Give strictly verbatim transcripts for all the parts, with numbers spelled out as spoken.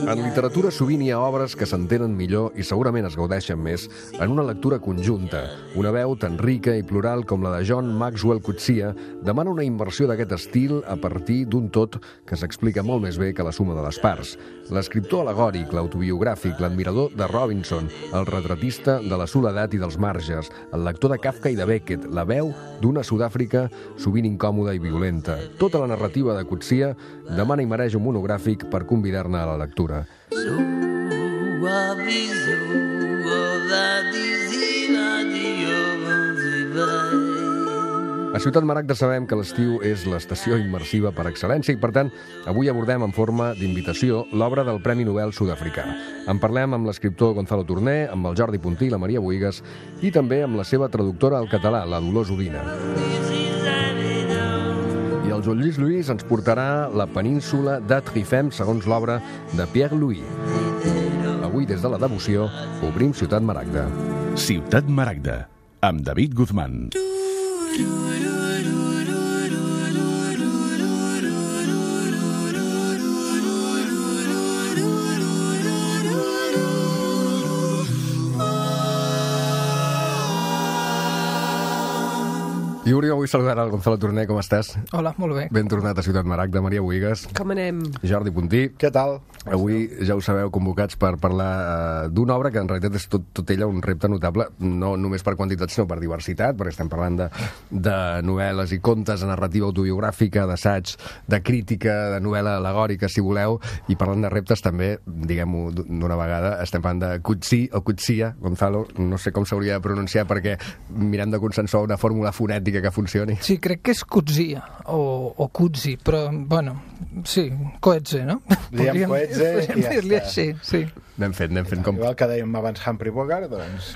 En literatura sovint hi ha obres que s'entenen millor i segurament es gaudeixen més en una lectura conjunta. Una veu tan rica i plural com la de John Maxwell Coetzee demana una inversió d'aquest estil a partir d'un tot que s'explica molt més bé que la suma de les parts. L'escriptor alegòric, l'autobiogràfic, l'admirador de Robinson, el retratista de la soledat i dels marges, el lector de Kafka i de Beckett, la veu d'una Sud-àfrica sovint incòmoda i violenta. Tota la narrativa de Coetzee demana i mereix un monogràfic per convidar-ne a la lectura. A Ciutat Maragda sabem que l'estiu és l'estació immersiva per excel·lència i, per tant, avui abordem en forma d'invitació l'obra del Premi Nobel sud-africà. En parlem amb l'escriptor Gonzalo Torné, amb el Jordi Puntí i la Maria Bohigas i també amb la seva traductora al català, la Dolors Udina. I el Joan Lluís Lluís ens portarà la península de Trifem segons l'obra de Pierre Louis. Avui, des de la devoció, obrim Ciutat Maragda. Ciutat Maragda, amb David Guzmán. I Uri, avui saludar el Gonzalo Torné, com estàs? Hola, molt bé. Ben tornat a Ciutat Maragda, Maria Bohigas. Com anem? Jordi Puntí. Què tal? Avui ja ho sabeu, convocats per parlar uh, d'una obra que en realitat és tot, tot ella un repte notable, no només per quantitat sinó per diversitat, perquè estem parlant de, de novel·les i contes, de narrativa autobiogràfica, d'assaig, de crítica, de novel·la alegòrica, si voleu, i parlant de reptes també, diguem-ho d'una vegada, estem parlant de Coetzee o Coetzee, Gonzalo, no sé com s'hauria de pronunciar perquè mirem de consensuar una fórmula fonètica que funcioni. Sí, crec que és Coetzee o, o Coetzee, però, bueno, sí, Coetzee, no? Diem Coetzee i ja dir-li està. així, sí. Anem fent, anem fent com... Igual que dèiem abans Humphrey Bogart, doncs...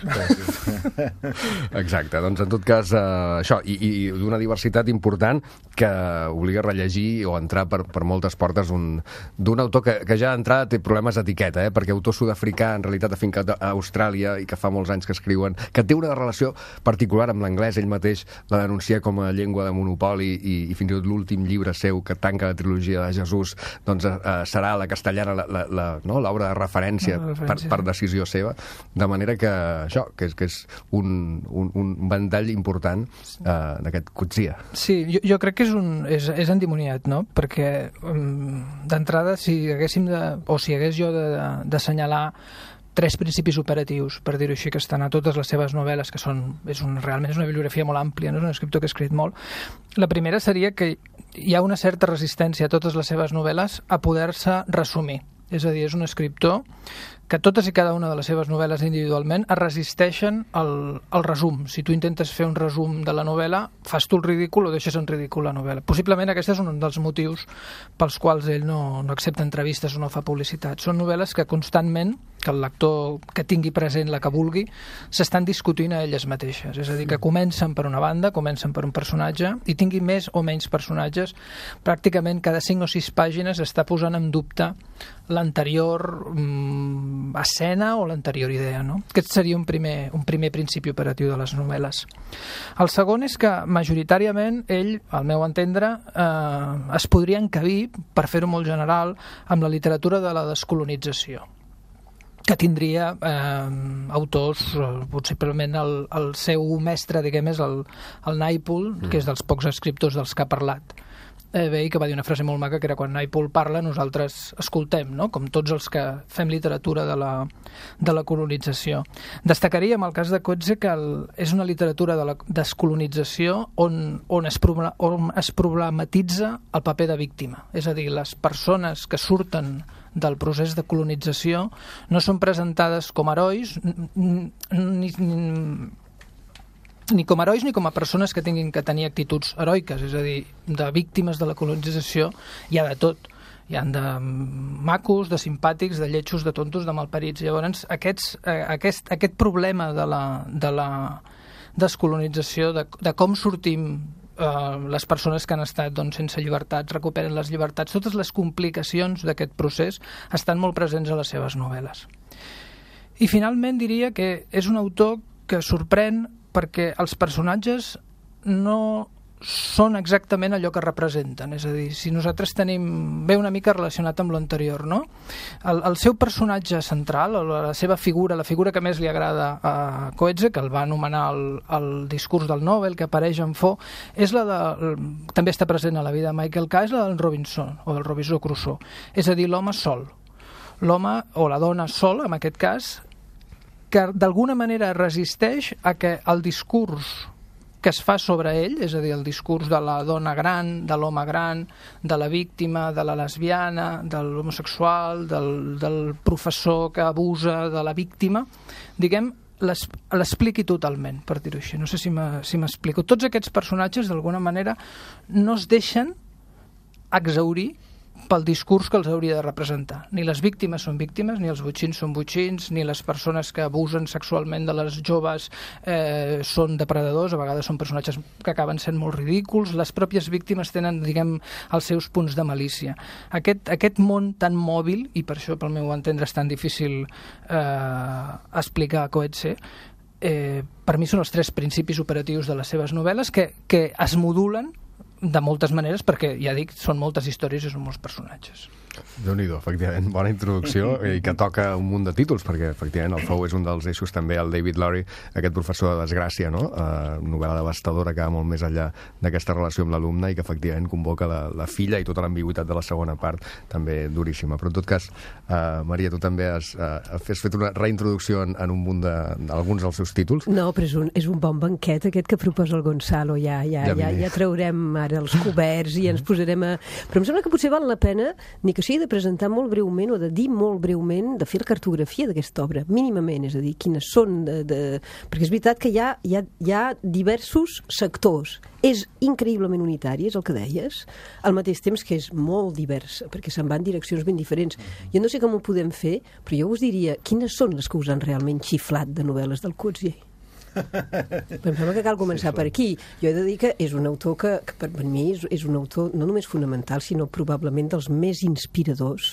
Exacte, doncs en tot cas eh, això, i, i d'una diversitat important que obliga a rellegir o entrar per, per moltes portes un, d'un autor que, que ja d'entrada té problemes d'etiqueta, eh, perquè autor sud-africà en realitat afincat a Austràlia i que fa molts anys que escriuen, que té una relació particular amb l'anglès, ell mateix la denuncia com a llengua de monopoli i, i fins i tot l'últim llibre seu que tanca la trilogia de Jesús doncs eh, serà la castellana, la, la, la, no? l'obra de referència Per, per decisió seva, de manera que això, que és, que és un, un, un ventall important uh, d'aquest Coetzee. Sí, jo, jo crec que és, un, és, és endimoniat, no? Perquè um, d'entrada, si haguéssim de, o si hagués jo d'assenyalar tres principis operatius, per dir-ho així, que estan a totes les seves novel·les, que són, és un, realment és una bibliografia molt àmplia, no? És un escriptor que ha escrit molt. La primera seria que hi ha una certa resistència a totes les seves novel·les a poder-se resumir. És a dir, és un escriptor que totes i cada una de les seves novel·les individualment es resisteixen al, al resum. Si tu intentes fer un resum de la novel·la, fas tu el ridícul o deixes en ridícul la novel·la. Possiblement aquest és un dels motius pels quals ell no, no accepta entrevistes o no fa publicitat. Són novel·les que constantment, que el lector que tingui present la que vulgui, s'estan discutint a elles mateixes. És a dir, que comencen per una banda, comencen per un personatge, i tingui més o menys personatges, pràcticament cada cinc o sis pàgines està posant en dubte l'anterior mm, escena o l'anterior idea, no? Aquest seria un primer, un primer principi operatiu de les novel·les. El segon és que majoritàriament ell, al meu entendre, eh, es podria encabir, per fer-ho molt general, amb la literatura de la descolonització, que tindria eh, autors, possiblement el, el seu mestre, diguem, és el, el Naipaul, mm. que és dels pocs escriptors dels que ha parlat. Eh, bé, i que va dir una frase molt maca, que era quan Naipaul parla nosaltres escoltem, no? Com tots els que fem literatura de la, de la colonització. Destacaria en el cas de Coetzee que el, és una literatura de la descolonització on, on, es, on es problematitza el paper de víctima. És a dir, les persones que surten del procés de colonització no són presentades com herois ni, ni, ni com herois ni com a persones que tinguin que tenir actituds heroiques, és a dir, de víctimes de la colonització hi ha de tot. Hi ha de macos, de simpàtics, de lletjos, de tontos, de malparits. Llavors, aquests, eh, aquest, aquest problema de la, de la descolonització, de, de com sortim Uh, les persones que han estat doncs, sense llibertats, recuperen les llibertats, totes les complicacions d'aquest procés estan molt presents a les seves novel·les. I finalment diria que és un autor que sorprèn perquè els personatges no són exactament allò que representen. És a dir, si nosaltres tenim... Ve una mica relacionat amb l'anterior, no? El, el seu personatge central, la seva figura, la figura que més li agrada a Coetzee, que el va anomenar el, el discurs del Nobel, que apareix en Fo, és la de... també està present a la vida de Michael K., és la del Robinson, o del Robinson Crusoe. És a dir, l'home sol. L'home, o la dona sol, en aquest cas, que d'alguna manera resisteix a que el discurs que es fa sobre ell, és a dir, el discurs de la dona gran, de l'home gran, de la víctima, de la lesbiana, de l'homosexual, del, del professor que abusa de la víctima, diguem, l'expliqui totalment, per dir-ho així. No sé si m'explico. Tots aquests personatges, d'alguna manera, no es deixen exhaurir pel discurs que els hauria de representar. Ni les víctimes són víctimes, ni els botxins són botxins, ni les persones que abusen sexualment de les joves eh, són depredadors, a vegades són personatges que acaben sent molt ridículs, les pròpies víctimes tenen, diguem, els seus punts de malícia. Aquest, aquest món tan mòbil, i per això pel meu entendre és tan difícil eh, explicar a Coetzee, eh, per mi són els tres principis operatius de les seves novel·les que, que es modulen de moltes maneres, perquè, ja dic, són moltes històries i són molts personatges. Déu-n'hi-do, efectivament, bona introducció i que toca un munt de títols, perquè efectivament el Fou és un dels eixos, també el David Lowry, aquest professor de desgràcia, no? Uh, novel·la devastadora que va molt més enllà d'aquesta relació amb l'alumne i que efectivament convoca la, la filla i tota l'ambigüitat de la segona part, també duríssima. Però en tot cas, uh, Maria, tu també has, uh, has fet una reintroducció en, en un munt d'alguns de, dels seus títols. No, però és un, és un bon banquet aquest que proposa el Gonzalo, ja, ja, ja, ja, ja traurem ara els coberts i ens posarem a... Però em sembla que potser val la pena, ni que sigui de presentar molt breument o de dir molt breument, de fer la cartografia d'aquesta obra, mínimament, és a dir, quines són de... de... Perquè és veritat que hi ha, hi ha, hi ha diversos sectors. És increïblement unitari, és el que deies, al mateix temps que és molt divers, perquè se'n van direccions ben diferents. Jo no sé com ho podem fer, però jo us diria, quines són les que us han realment xiflat de novel·les del Coetzee? Em sembla que cal començar per aquí. Jo he de dir que és un autor que, que per mi és, és un autor no només fonamental, sinó probablement dels més inspiradors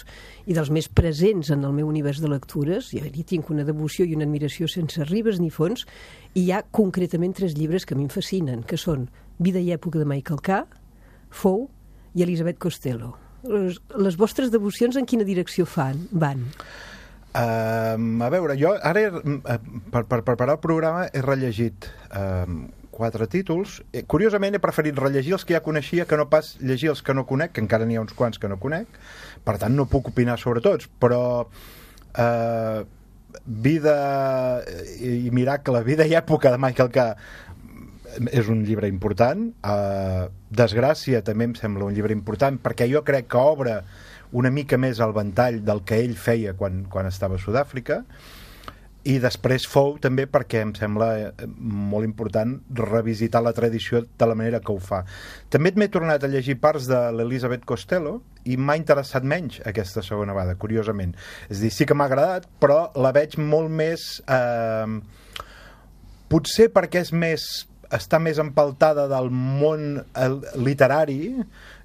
i dels més presents en el meu univers de lectures. Jo hi tinc una devoció i una admiració sense ribes ni fons, i hi ha concretament tres llibres que a mi em fascinen, que són Vida i època de Michael K., Fou i Elisabeth Costello. Les, les vostres devocions en quina direcció fan, van? Uh, a veure, jo ara uh, per, per preparar el programa he rellegit uh, quatre títols. Eh, curiosament he preferit rellegir els que ja coneixia que no pas llegir els que no conec, que encara n'hi ha uns quants que no conec, per tant no puc opinar sobre tots, però uh, Vida i Miracle, Vida i època de Michael K. és un llibre important. uh, Desgràcia també em sembla un llibre important, perquè jo crec que obre una mica més al ventall del que ell feia quan, quan estava a Sud-àfrica, i després Fou també perquè em sembla molt important revisitar la tradició de la manera que ho fa. També m'he tornat a llegir parts de l'Elisabeth Costello i m'ha interessat menys aquesta segona vegada, curiosament. És a dir, sí que m'ha agradat, però la veig molt més... Eh, potser perquè és més... està més empaltada del món literari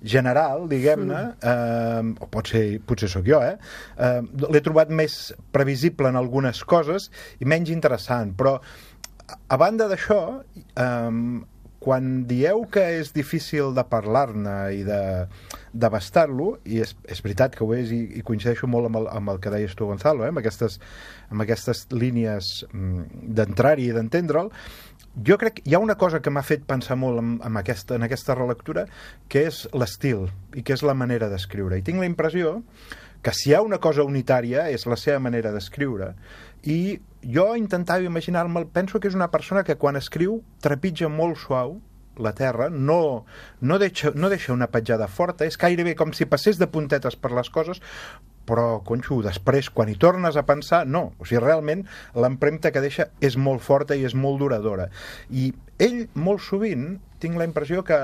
general, diguem-ne, eh, o potser, potser sóc jo, eh? eh l'he trobat més previsible en algunes coses i menys interessant, però a banda d'això, eh, quan dieu que és difícil de parlar-ne i de d'abastar-lo, i és, és veritat que ho és, i, i coincideixo molt amb el, amb el que deies tu, Gonzalo, eh? amb, aquestes, amb aquestes línies d'entrar-hi i d'entendre'l, jo crec que hi ha una cosa que m'ha fet pensar molt en, en, aquesta, en aquesta relectura, que és l'estil i que és la manera d'escriure. I tinc la impressió que si hi ha una cosa unitària és la seva manera d'escriure. I jo intentava imaginar-me, penso que és una persona que quan escriu trepitja molt suau la terra, no, no, deixa, no deixa una petjada forta, és gairebé com si passés de puntetes per les coses, però, conxo, després, quan hi tornes a pensar, no. O sigui, realment, l'empremta que deixa és molt forta i és molt duradora. I ell, molt sovint, tinc la impressió que,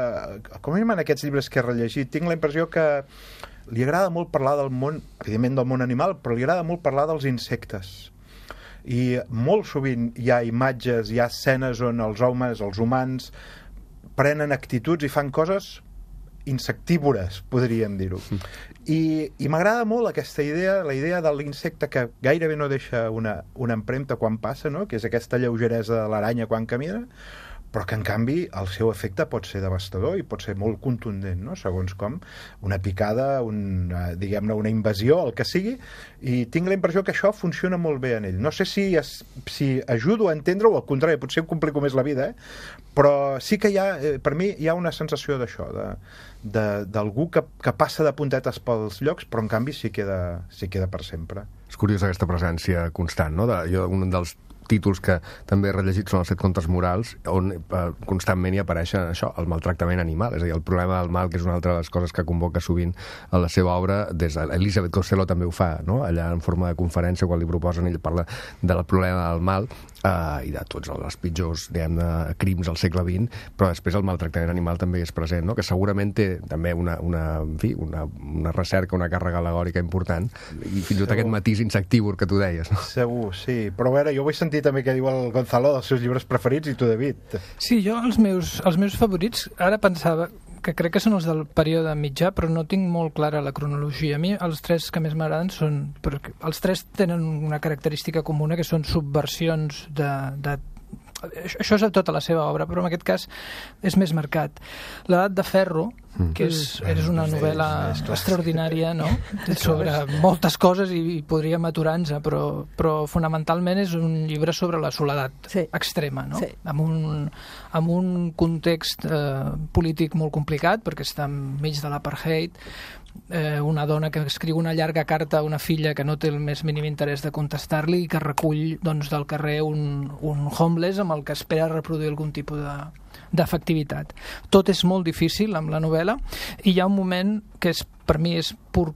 com a mínim en aquests llibres que he rellegit, tinc la impressió que li agrada molt parlar del món, evidentment del món animal, però li agrada molt parlar dels insectes. I molt sovint hi ha imatges, hi ha escenes on els homes, els humans, prenen actituds i fan coses insectívores, podríem dir-ho. I, i m'agrada molt aquesta idea, la idea de l'insecte que gairebé no deixa una, una empremta quan passa, no? Que és aquesta lleugeresa de l'aranya quan camina, però que en canvi el seu efecte pot ser devastador i pot ser molt contundent, no? Segons com, una picada, una, diguem-ne, una invasió, el que sigui, i tinc la impressió que això funciona molt bé en ell. No sé si, es, si ajudo a entendre-ho, al contrari, potser em complico més la vida, eh? Però sí que hi ha, per mi hi ha una sensació d'això, de, d'algú que, que passa de puntetes pels llocs, però en canvi s'hi queda, s'hi queda per sempre. És curiós aquesta presència constant, no? De, jo, un dels títols que també he rellegit són els set contes morals, on eh, constantment hi apareix això, el maltractament animal, és a dir, el problema del mal, que és una altra de les coses que convoca sovint a la seva obra, des de Elisabet Costello també ho fa, no? Allà en forma de conferència, quan li proposen, ell parla del problema del mal, eh, i de tots els pitjors, diguem-ne, crims al segle vint, però després el maltractament animal també és present, no? Que segurament té també una, una, en fi, una, una recerca, una càrrega al·legòrica important, i fins i tot aquest matís insectívor que tu deies, no? Segur, sí, però a veure, jo vull sentir també què diu el Gonzalo dels seus llibres preferits, i tu, David. Sí, jo els meus, els meus favorits, ara pensava que crec que són els del període mitjà, però no tinc molt clara la cronologia. A mi els tres que més m'agraden són... Perquè els tres tenen una característica comuna, que són subversions de... de això és a tota la seva obra, però en aquest cas és més marcat. L'Edat de Ferro, que és, és una novel·la extraordinària, no? Sobre moltes coses, i, i podríem aturar-nos, però, però fonamentalment és un llibre sobre la soledat sí. extrema, no? Sí. Amb, un, amb un context eh, polític molt complicat, perquè està enmig de l'apartheid, eh, una dona que escriu una llarga carta a una filla que no té el més mínim interès de contestar-li, i que recull, doncs, del carrer un, un homeless amb el que espera reproduir algun tipus de d'efectivitat. Tot és molt difícil amb la novel·la, i hi ha un moment que és, per mi és pur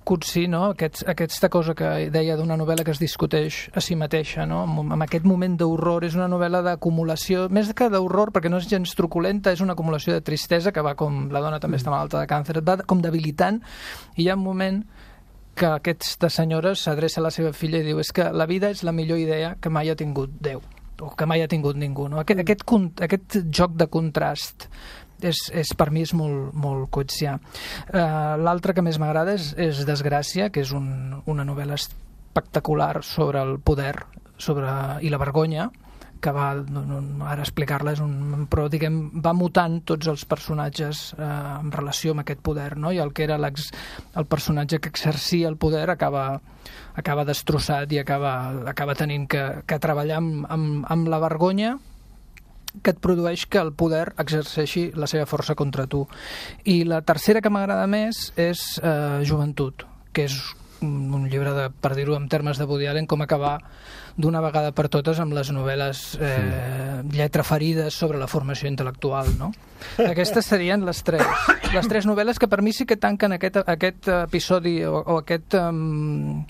cutsí, no? Aquest, aquesta cosa que deia d'una novel·la que es discuteix a si mateixa, no? Amb, amb aquest moment d'horror. És una novel·la d'acumulació, més que d'horror, perquè no és gens truculenta, és una acumulació de tristesa que va com... La dona també està malalta de càncer, va com debilitant, i hi ha un moment que aquesta senyora s'adreça a la seva filla i diu: és que la vida és la millor idea que mai ha tingut Déu, o que mai ha tingut ningú, no? Aquest, aquest, aquest joc de contrast és, és, per mi és molt, molt coetsià. Uh, l'altre que més m'agrada és, és Desgràcia, que és un, una novel·la espectacular sobre el poder sobre, i la vergonya, que va, ara explicar-la és un... però diguem, va mutant tots els personatges eh, en relació amb aquest poder, no? I el que era el personatge que exercia el poder acaba, acaba destrossat i acaba, acaba tenint que, que treballar amb, amb, amb la vergonya que et produeix que el poder exerceixi la seva força contra tu. I la tercera que m'agrada més és eh, Joventut, que és un llibre, de, per dir-ho en termes de Woody Allen, com acabar d'una vegada per totes amb les novel·les eh, lletraferides sobre la formació intel·lectual, no? Aquestes serien les tres. Les tres novel·les que per mi sí que tanquen aquest, aquest episodi o, o aquest, um,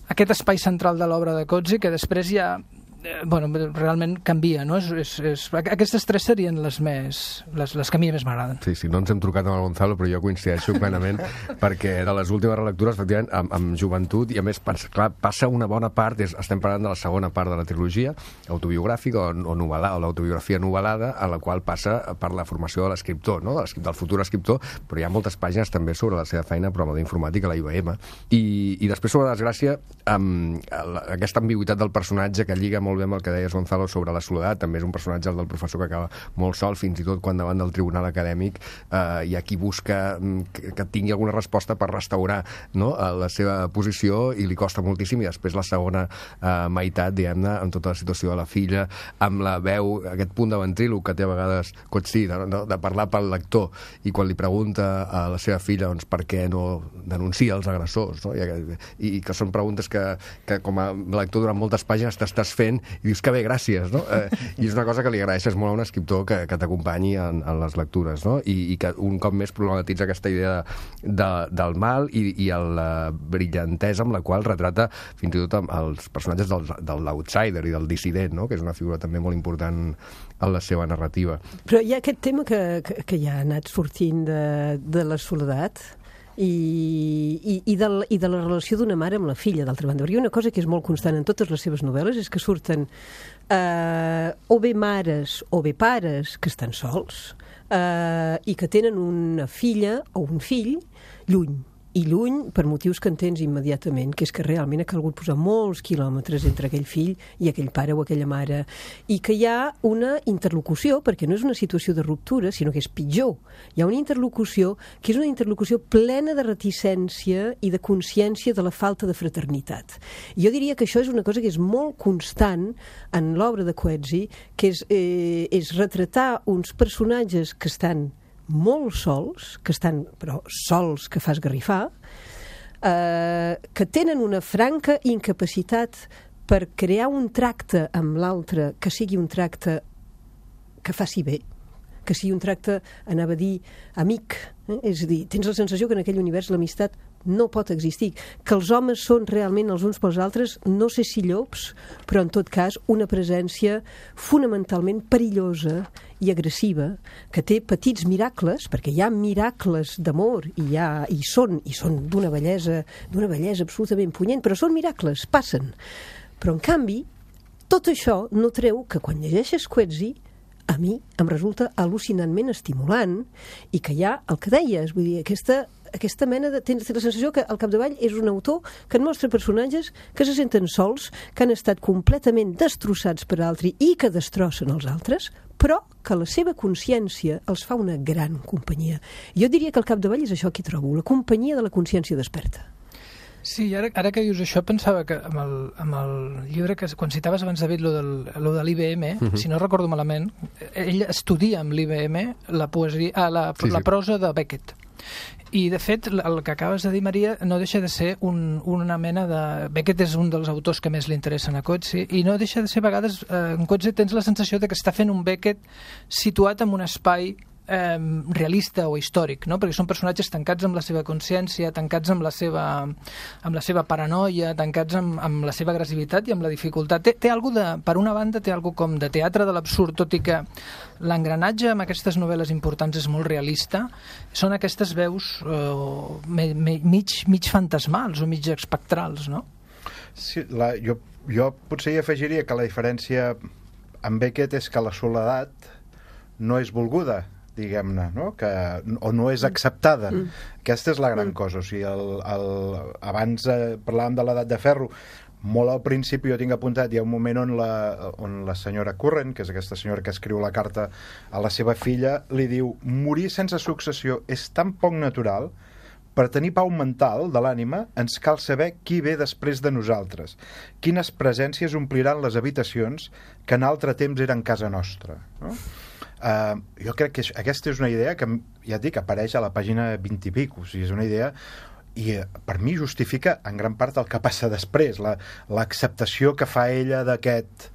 aquest espai central de l'obra de Coetzee, que després ja eh, bueno, realment canvia, no? És, és, és... Aquestes tres serien les més les, les que a mi més m'agraden. Sí, sí, no ens hem trucat amb el Gonzalo, però jo coincideixo plenament perquè de les últimes relectures, efectivament, amb, amb Joventut, i a més, clar, passa una bona part, és, estem parlant de la segona part de la trilogia autobiogràfica o, o novel·la, o l'autobiografia novel·lada, a la qual passa per la formació de l'escriptor, no? Del futur escriptor, però hi ha moltes pàgines també sobre la seva feina a programa d'informàtica a la I B M. I, i després sobre Desgràcia, amb aquesta ambigüitat del personatge que lliga molt bé amb el que deies, Gonzalo, sobre la soledat. També és un personatge, el del professor, que acaba molt sol, fins i tot quan davant del tribunal acadèmic eh, hi ha qui busca que, que tingui alguna resposta per restaurar, no?, la seva posició, i li costa moltíssim. I després la segona eh, meitat, diguem-ne, amb tota la situació de la filla, amb la veu, aquest punt de ventríloc que té a vegades Coetzee, de, de, de parlar pel lector, i quan li pregunta a la seva filla, doncs, per què no denuncia els agressors, no? I, i, i que són preguntes que, que com a lector durant moltes pàgines t'estàs fent i dius que bé, gràcies, no? Eh, I és una cosa que li agraeixes molt a un escriptor que, que t'acompanyi en, en les lectures, no? I, i que un cop més problematitza aquesta idea de, de, del mal i, i la brillantesa amb la qual retrata fins i tot els personatges del, de l'outsider i del dissident, no?, que és una figura també molt important en la seva narrativa. Però hi ha aquest tema que, que, que ja ha anat sortint de, de la soledat, i, i, i, de, i de la relació d'una mare amb la filla, d'altra banda. Perquè una cosa que és molt constant en totes les seves novel·les és que surten eh, o bé mares o bé pares que estan sols eh, i que tenen una filla o un fill lluny. i lluny per motius que entens immediatament, que és que realment ha calgut posar molts quilòmetres entre aquell fill i aquell pare o aquella mare, i que hi ha una interlocució, perquè no és una situació de ruptura, sinó que és pitjor. Hi ha una interlocució que és una interlocució plena de reticència i de consciència de la falta de fraternitat. Jo diria que això és una cosa que és molt constant en l'obra de Coetzee, que és, eh, és retratar uns personatges que estan molt sols, que estan, però sols que fa esgarrifar, eh, que tenen una franca incapacitat per crear un tracte amb l'altre que sigui un tracte que faci bé, que sigui un tracte, anava a dir, amic. Eh? És a dir, tens la sensació que en aquell univers l'amistat no pot existir, que els homes són realment els uns pels altres, no sé si llops, però en tot cas una presència fonamentalment perillosa i agressiva, que té petits miracles, perquè hi ha miracles d'amor i hi ha, i són, i són d'una bellesa, d'una bellesa absolutament punyent, però són miracles, passen. Però en canvi, tot això no treu que quan llegeixes Coetzee, a mi em resulta al·lucinantment estimulant, i que hi ha el que deies, vull dir, aquesta aquesta mena de... Tens la sensació que al capdavall és un autor que et mostra personatges que se senten sols, que han estat completament destrossats per altre i que destrossen els altres, però que la seva consciència els fa una gran companyia. Jo diria que al capdavall és això que hi trobo, la companyia de la consciència desperta. Sí, ara, ara que dius això, pensava que amb el, amb el llibre, que quan citaves abans, David, lo, del, lo de l'I B M, uh-huh. si no recordo malament, ell estudia amb l'I B M la, poesia, ah, la, sí, la prosa de Beckett. I, de fet, el que acabes de dir, Maria, no deixa de ser un, una mena de... Beckett és un dels autors que més li interessen a Coetzee, i no deixa de ser, a vegades, eh, en Coetzee tens la sensació de que està fent un Beckett situat en un espai eh, realista o històric, no? Perquè són personatges tancats amb la seva consciència, tancats amb la seva, amb la seva paranoia, tancats amb, amb la seva agressivitat i amb la dificultat. Té, té algo de, per una banda, té algo com de teatre de l'absurd, tot i que l'engranatge amb aquestes novel·les importants és molt realista. Són aquestes veus eh, me, me, mig, mig fantasmals o mig espectrals, no? Sí, la, jo, jo potser hi afegiria que la diferència amb Beckett és que la soledat no és volguda, diguem-ne, no? Que, o no és acceptada. Mm. Aquesta és la gran mm. cosa. O sigui, el, el, abans eh, parlàvem de l'edat de ferro, molt al principi jo tinc apuntat, hi ha un moment on la, on la senyora Curran, que és aquesta senyora que escriu la carta a la seva filla, li diu: morir sense successió és tan poc natural. Per tenir pau mental de l'ànima ens cal saber qui ve després de nosaltres, quines presències ompliran les habitacions que en altre temps eren casa nostra, no? Uh, jo crec que aquesta és una idea que, ja et dic, apareix a la pàgina vint i pico, o sigui, és una idea i per mi justifica en gran part el que passa després, la, l'acceptació que fa ella d'aquest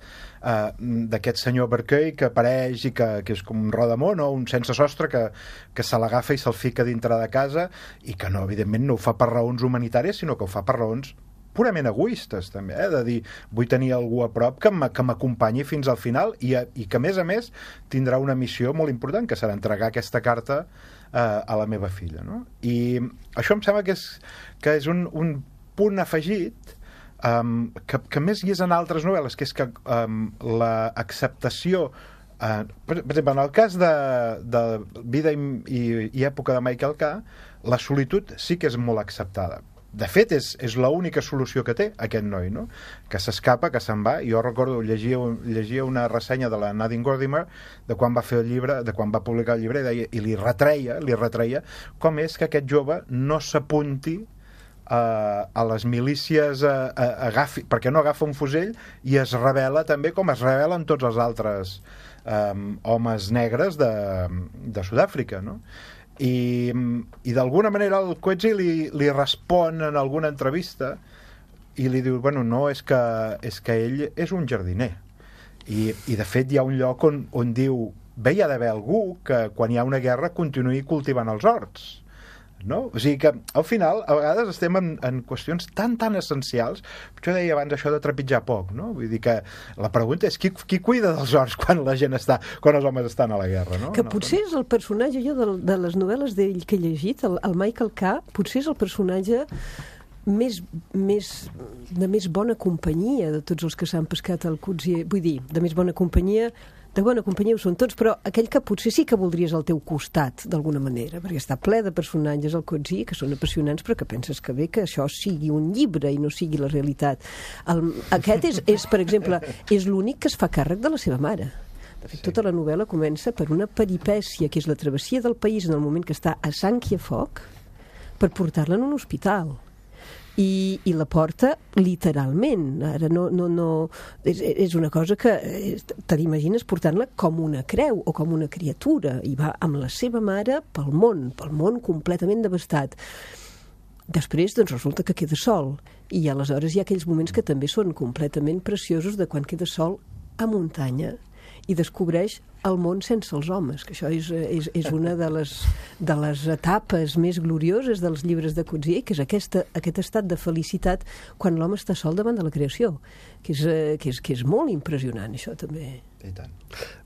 uh, d'aquest senyor Berkey que apareix i que, que és com un rodamón o un sense sostre que, que se l'agafa i se'l fica dintre de casa i que no, evidentment no ho fa per raons humanitàries, sinó que ho fa per raons purament egoistes, també, eh? De dir, vull tenir algú a prop que m'acompanyi fins al final i, i que, a més a més, tindrà una missió molt important, que serà entregar aquesta carta eh, a la meva filla, no? I això em sembla que és, que és un, un punt afegit um, que, que més hi és en altres novel·les, que és que um, l'acceptació Uh, per, per exemple, en el cas de, de Vida i, i, i època de Michael K., la solitud sí que és molt acceptada. De fet, és, és l'única solució que té aquest noi, no? Que s'escapa, que se'n va. Jo recordo, llegia, llegia una ressenya de la Nadine Gordimer de quan va fer el llibre, de quan va publicar el llibre, i, deia, i li retreia, li retreia com és que aquest jove no s'apunti a, a les milícies, a, a, agafi, perquè no agafa un fusell i es rebel·la també com es rebel·len tots els altres um, homes negres de, de Sud-àfrica, no? I, i d'alguna manera el Coetzee li, li respon en alguna entrevista i li diu, bueno, no, és que, és que ell és un jardiner i, i de fet hi ha un lloc on, on diu, bé, hi ha d'haver algú que quan hi ha una guerra continuï cultivant els horts, no? O sigui que al final a vegades estem en, en qüestions tan tan essencials. Jo deia abans això de trepitjar poc, no? Vull dir que la pregunta és qui, qui cuida dels horts quan la gent està, quan els homes estan a la guerra, no? Que no, potser és el personatge, jo de, de les novel·les d'ell que he llegit, el, el Michael K., potser és el personatge més, més, de més bona companyia de tots els que s'han pescat al Coetzee, vull dir, de més bona companyia de bona companyia ho són tots, però aquell que potser sí que voldries al teu costat, d'alguna manera, perquè està ple de personatges al Coetzee que són apassionants, però que penses que bé que això sigui un llibre i no sigui la realitat. El, aquest és, és, per exemple, és l'únic que es fa càrrec de la seva mare. De fet, tota la novel·la comença per una peripècia, que és la travessia del país en el moment que està a sang i a foc, per portar-la en un hospital. I, i la porta literalment. Ara no, no, no, és, és una cosa que te l'imagines portant-la com una creu o com una criatura, i va amb la seva mare pel món, pel món completament devastat. Després, doncs, resulta que queda sol, i aleshores hi ha aquells moments que també són completament preciosos, de quan queda sol a muntanya i descobreix el món sense els homes, que això és, és, és una de les, de les etapes més glorioses dels llibres de Coetzee, que és aquesta, aquest estat de felicitat quan l'home està sol davant de la creació, que és, que és, que és molt impressionant, això també. I tant.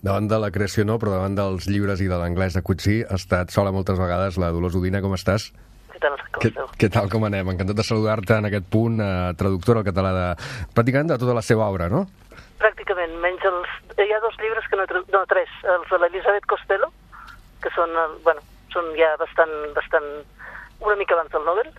Davant de la creació no, però davant dels llibres i de l'anglès de Coetzee ha estat sola moltes vegades. La Dolors Udina, com estàs? Què tal, com Què, què tal, com anem? Encantat de saludar-te en aquest punt, eh, traductora al català de, pràcticament de tota la seva obra, no? Pràcticament, menys els... Hi ha dos llibres que no... No, tres. Els de l'Elisabet Costello, que són, bueno, són ja bastant, bastant... una mica abans del Nobel,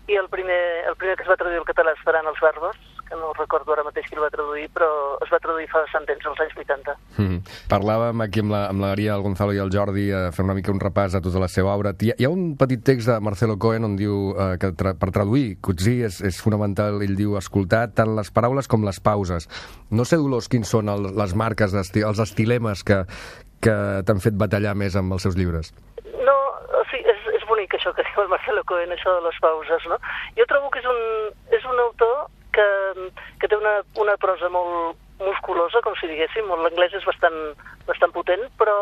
i el primer, el primer que es va traduir al català Esperant els bàrbars, que no recordo ara mateix qui el va traduir, però es va traduir fa bastant temps, als anys vuitanta. Mm. Parlàvem aquí amb la, amb la Maria, el Gonzalo i el Jordi a fer una mica un repàs a tota la seva obra. Hi ha, hi ha un petit text de Marcelo Cohen on diu eh, que tra per traduir Coetzee és, és fonamental, ell diu, escoltar tant les paraules com les pauses. No sé, Dolors, quins són el, les marques, esti els estilemes que, que t'han fet batallar més amb els seus llibres. No, o sigui, és, és bonic això que diu el Marcelo Cohen, això de les pauses, no? Jo trobo que és un, és un autor que, que té una, una prosa molt musculosa, com si diguéssim. L'anglès és bastant, bastant potent, però,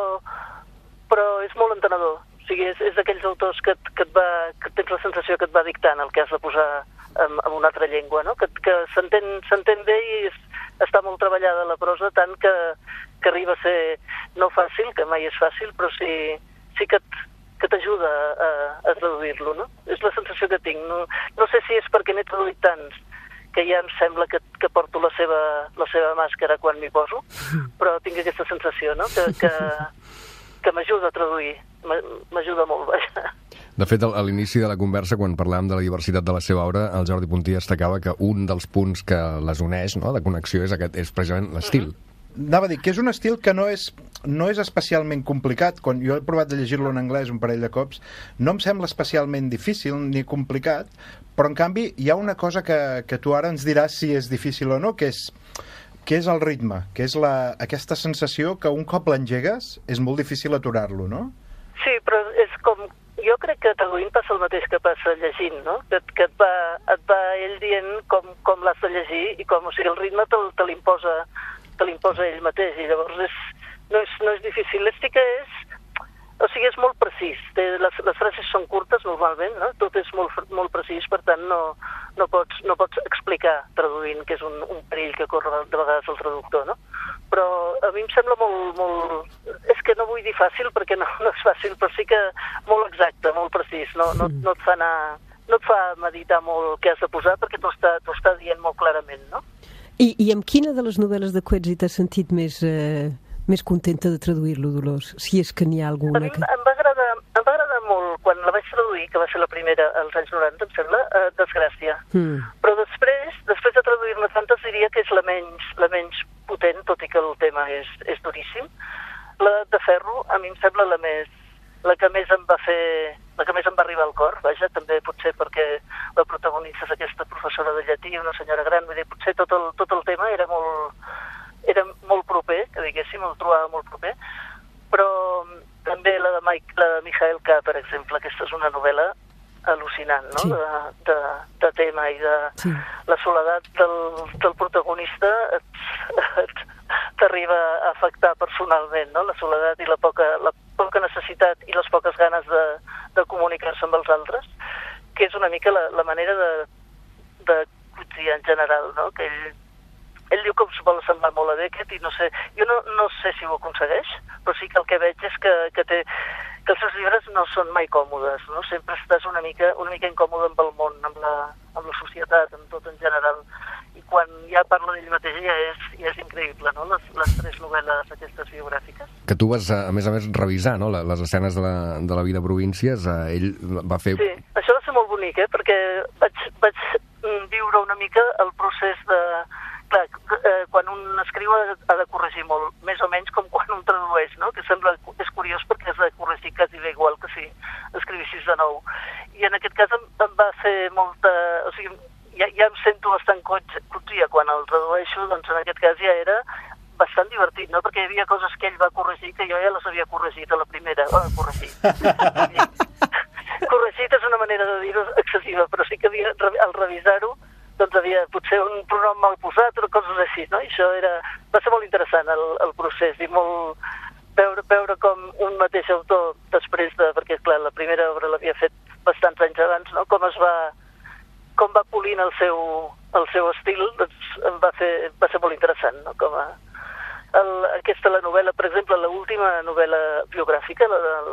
però és molt entenedor. O sigui, és, és d'aquells autors que, que, et va, que tens la sensació que et va dictant el que has de posar en, en una altra llengua, no? Que, que s'entén bé i és, està molt treballada la prosa, tant que, que arriba a ser no fàcil, que mai és fàcil, però sí, sí que et, que t'ajuda a, a traduir-lo, no? És la sensació que tinc. No, no sé si és perquè n'he traduït tants que ja em sembla que, que porto la seva, la seva màscara quan m'hi poso, però tinc aquesta sensació, no? Que, que, que m'ajuda a traduir, m'ajuda molt, vaja. De fet, a l'inici de la conversa, quan parlàvem de la diversitat de la seva obra, el Jordi Puntí destacava que un dels punts que les uneix, no?, de connexió, és, aquest, és precisament l'estil. Mm-hmm. Anava a dir que és un estil que no és, no és especialment complicat. Quan jo he provat de llegir-lo en anglès un parell de cops, no em sembla especialment difícil ni complicat, però en canvi hi ha una cosa que, que tu ara ens diràs si és difícil o no, que és, que és el ritme, que és la, aquesta sensació que un cop l'engegues és molt difícil aturar-lo, no? Sí, però és com... Jo crec que traduint passa el mateix que passa llegint, no? Que, que et, va, et va ell dient com, com l'has de llegir i com, o sigui, el ritme te, te l'imposa te l'imposa ell mateix, i llavors és, no, és, no és difícil. L'estic és, o sigui, és molt precís. Té, les, les frases són curtes normalment, no? Tot és molt, molt precís, per tant no, no, pots, no pots explicar traduint, que és un, un perill que corre de vegades el traductor, no? Però a mi em sembla molt, molt... És que no vull dir fàcil, perquè no, no és fàcil, però sí que molt exacte, molt precís. No, no, no et fa anar... No et fa meditar molt què has de posar, perquè t'ho està, t'ho està dient molt clarament, no? I, I amb quina de les novel·les de Coetzee t'has sentit més, eh, més contenta de traduir-lo, Dolors? Si és que n'hi ha alguna. A mi que... em va agradar, em va agradar molt, quan la vaig traduir, que va ser la primera als anys noranta, em sembla, eh, Desgràcia. Mm. Però després, després de traduir-ne tantes, diria que és la menys, la menys potent, tot i que el tema és, és duríssim. La de Ferro, a mi em sembla la més, la que més em va fer, la que més em va arribar al cor, vaja, també potser perquè la protagonista és aquesta professora de llatí, una senyora gran, vull dir, potser tot el, tot el tema era molt, era molt proper, que diguéssim, el trobava molt proper, però també la de, Mike, la de Michael K., per exemple, aquesta és una novel·la al·lucinant, no?, sí. de, de, de tema i de sí. La soledat del, del protagonista t'arriba a afectar personalment, no?, la soledat i la poca, la poca necessitat i les poques ganes de, de comunicar-se amb els altres, que és una mica la, la manera de, de Coetzee en general, no?, que ell, ell diu que es vol semblar molt a Beckett i no sé, jo no, no sé si ho aconsegueix, però sí que el que veig és que, que té que els seus llibres no són mai còmodes, no? Sempre estàs una mica, una mica incòmode amb el món, amb la, amb la societat, amb tot en general. I quan ja parla d'ell mateix ja és, ja és increïble, no? Les, les tres novel·les aquestes biogràfiques. Que tu vas, a més a més, revisar, no?, les escenes de la, de la vida a províncies. Ell va fer... Sí, això va ser molt bonic, eh? Perquè vaig, vaig viure una mica el procés de... Clar, eh, quan un escriu ha de corregir molt, més o menys com quan un tradueix, no? Que sembla, és curiós perquè has de corregir quasi bé igual que si escrivissis de nou. I en aquest cas em, em va fer molta... O sigui, ja, ja em sento bastant cotria quan el tradueixo, doncs en aquest cas ja era bastant divertit, no? Perquè hi havia coses que ell va corregir que jo ja les havia corregit a la primera. Oh, corregit. Corregit és una manera de dir-ho excessiva, però sí que havia, al revisar-ho, doncs havia potser un pronom mal posat o coses així, no? I això era... va ser molt interessant el, el procés i molt... Veure, veure com un mateix autor després de... Perquè, clar, la primera obra l'havia fet bastants anys abans, no? Com es va... com va polint el seu, el seu estil, doncs em va, fer, va ser molt interessant, no? Com a... El, aquesta, la novel·la, per exemple, l'última novel·la biogràfica, la del...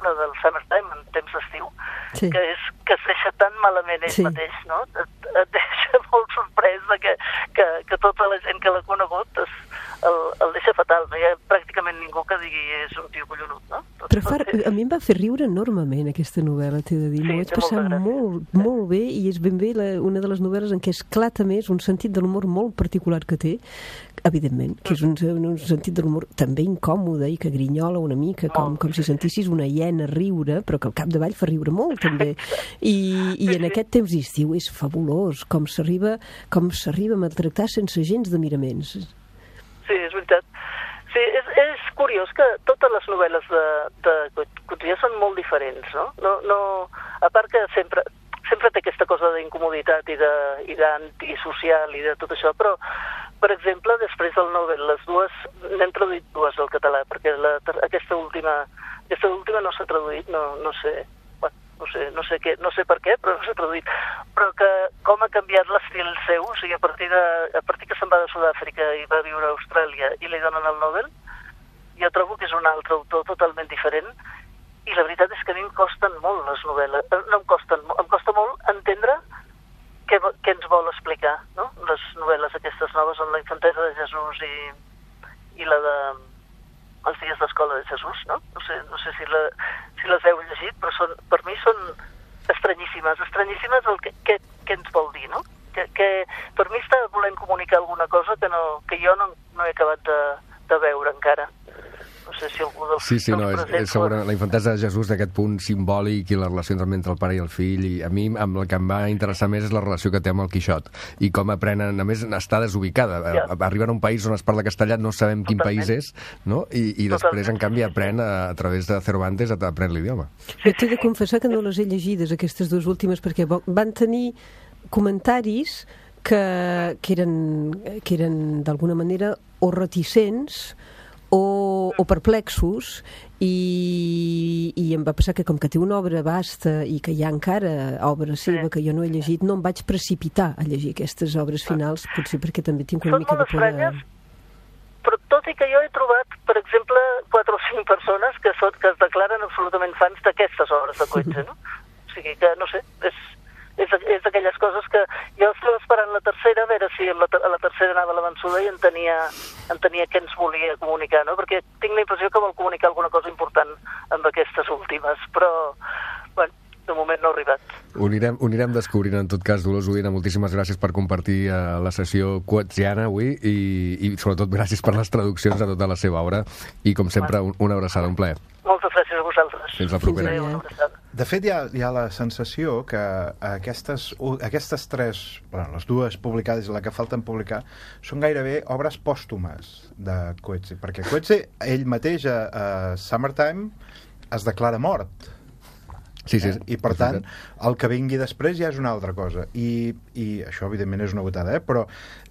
la del Summertime, en temps d'estiu, sí. que, és, que es deixa tan malament ell sí. mateix, no? Et, et deixa molt sorprès de que, que, que tota la gent que l'ha conegut es, el, el deixa fatal. No hi ha pràcticament ningú que digui és un tio collonut, no? Tot Però fa, a mi em va fer riure enormement aquesta novel·la, t'he de dir. Sí, m'ho vaig passar molt, molt bé i és ben bé la, una de les novel·les en què esclata més un sentit de l'humor molt particular que té, evidentment, que és un, un sentit de l'humor també incòmode i que grinyola una mica, com, com si sentissis una hiena riure, però que al capdavall fa riure molt, també. I, i en aquest temps d'estiu és fabulós, com s'arriba com s'arriba a maltractar sense gens de miraments. Sí, és veritat. Sí, és, és curiós que totes les novel·les de, de Coetzee són molt diferents, no? No, no? A part que sempre... sempre té aquesta cosa d'incomoditat i d'antisocial i de tot això, però, per exemple, després del Nobel, les dues, n'hem traduït dues al català, perquè la, aquesta última aquesta última no s'ha traduït, no, no sé, bueno, no sé, no sé què, no sé per què, però no s'ha traduït, però que com ha canviat l'estil seu, o sigui, a partir, de, a partir que se'n va de Sud-àfrica i va viure a Austràlia i li donen el Nobel, jo trobo que és un altre autor totalment diferent. I la veritat és que a mi em costen molt les novel·les. No em costen, em costa molt entendre què, què ens vol explicar, no? Les novel·les aquestes noves amb la infantesa de Jesús i, i la de Els dies d'escola de Jesús, no? No sé, no sé si, la, si les heu llegit, però són, per mi són estranyíssimes. Estranyíssimes el que, que, que ens vol dir, no? Que, que per mi està volent comunicar alguna cosa que, no, que jo no, no he acabat de, de veure encara. No sé si algú dels... Sí, sí, no, és, és segura, la infantesa de Jesús d'aquest punt simbòlic i les relacions entre el pare i el fill, i a mi amb el que em va interessar més és la relació que té amb el Quixot i com aprenen, a més està desubicada, ja. Arriben a un país on es parla castellà, no sabem quin Totalment. País és, no? I, i després en canvi aprèn a, a través de Cervantes aprèn l'idioma. Jo t'he de confessar que no les he llegides aquestes dues últimes perquè van tenir comentaris que, que eren, que eren d'alguna manera o reticents O, o perplexos i, i em va passar que com que té una obra vasta i que hi ha encara obra seva que jo no he llegit, no em vaig precipitar a llegir aquestes obres finals, potser perquè també tinc una Són mica de por de... Però tot i que jo he trobat, per exemple, quatre o cinc persones que, són, que es declaren absolutament fans d'aquestes obres de Coetzee, no? O sigui que, no sé, és, és, és d'aquelles coses que jo estava esperant la tercera, a veure si a la, a la tercera anava la vençuda i entenia, entenia què ens volia comunicar, no? Perquè tinc la impressió que vol comunicar alguna cosa important amb aquestes últimes, però, bueno, de moment no ha arribat. Ho anirem, ho anirem descobrint, en tot cas. Dolors Udina, moltíssimes gràcies per compartir uh, la sessió coetziana avui i, i sobretot gràcies per les traduccions a tota la seva obra i, com sempre, un, una abraçada, un plaer. Moltes gràcies a vosaltres. Fins la propera. Fins de fet, hi ha, hi ha la sensació que aquestes, aquestes tres, bueno, les dues publicades i la que falten publicar, són gairebé obres pòstumes de Coetzee, perquè Coetzee, ell mateix a, a Summertime, es declara mort. Sí, sí, eh? I per tant, el que vingui després ja és una altra cosa. I, i això, evidentment, és una botada, eh? Però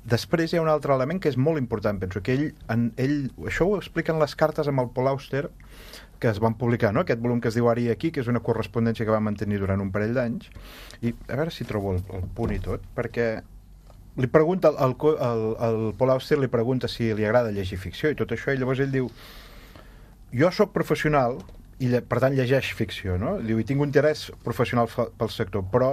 després hi ha un altre element que és molt important. Penso que ell, en, ell això ho expliquen les cartes amb el Paul Auster, que es van publicar, no? Aquest volum que es diu Ara i aquí, que és una correspondència que va mantenir durant un parell d'anys. I a veure si trobo el, el punt i tot, perquè li pregunta, el, el, el Paul Auster li pregunta si li agrada llegir ficció i tot això, i llavors ell diu: jo sóc professional i per tant llegeix ficció, no? Diu, i tinc un interès professional pel sector, però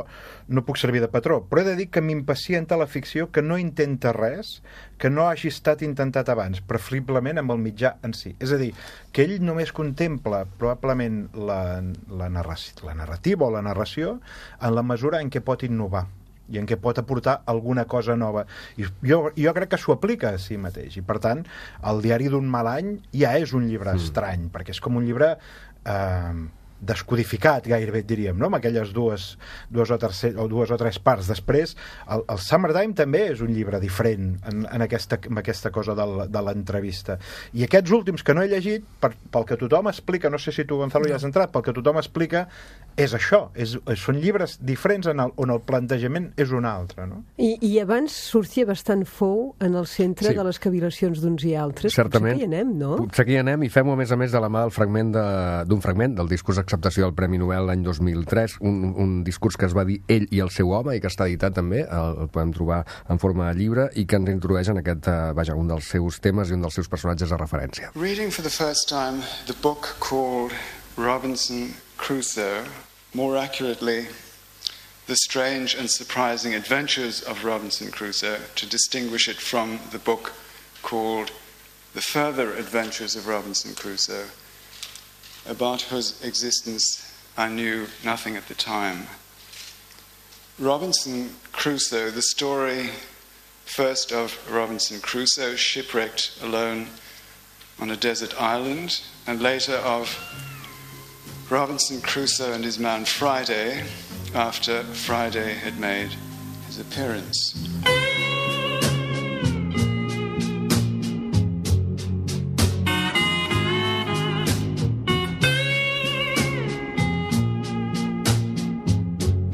no puc servir de patró. Però he de dir que m'impacienta la ficció que no intenta res que no hagi estat intentat abans, preferiblement amb el mitjà en si. És a dir, que ell només contempla probablement la, la, narració, la narrativa o la narració en la mesura en què pot innovar i en què pot aportar alguna cosa nova. I jo, jo crec que s'ho aplica a si mateix. I, per tant, el diari d'un mal any ja és un llibre mm. estrany, perquè és com un llibre eh, descodificat, gairebé diríem, no? Amb aquelles dues, dues, o tercer, o dues o tres parts. Després, el, el Summertime també és un llibre diferent en, en, aquesta, en aquesta cosa del, de l'entrevista. I aquests últims que no he llegit, per, pel que tothom explica, no sé si tu, Gonzalo, hi has entrat, pel que tothom explica, és això. És, són llibres diferents en el, on el plantejament és un altre, no? I, i abans sortia bastant fou en el centre sí. de les cavilacions d'uns i altres. Certament. Potser que hi anem, no? Potser que hi anem, i fem-ho, a més a més, de la mà del fragment de, d'un fragment del discurs acceptació del Premi Nobel l'any dos mil tres, un, un discurs que es va dir Ell i el seu home i que està editat també, el, el podem trobar en forma de llibre i que ens introdueix en aquest, uh, vaja, un dels seus temes i un dels seus personatges de referència. Reading for the first time the book called Robinson Crusoe, more accurately, The Strange and Surprising Adventures of Robinson Crusoe, to distinguish it from the book called The Further Adventures of Robinson Crusoe, about whose existence I knew nothing at the time. Robinson Crusoe, the story first of Robinson Crusoe shipwrecked alone on a desert island, and later of Robinson Crusoe and his man Friday after Friday had made his appearance.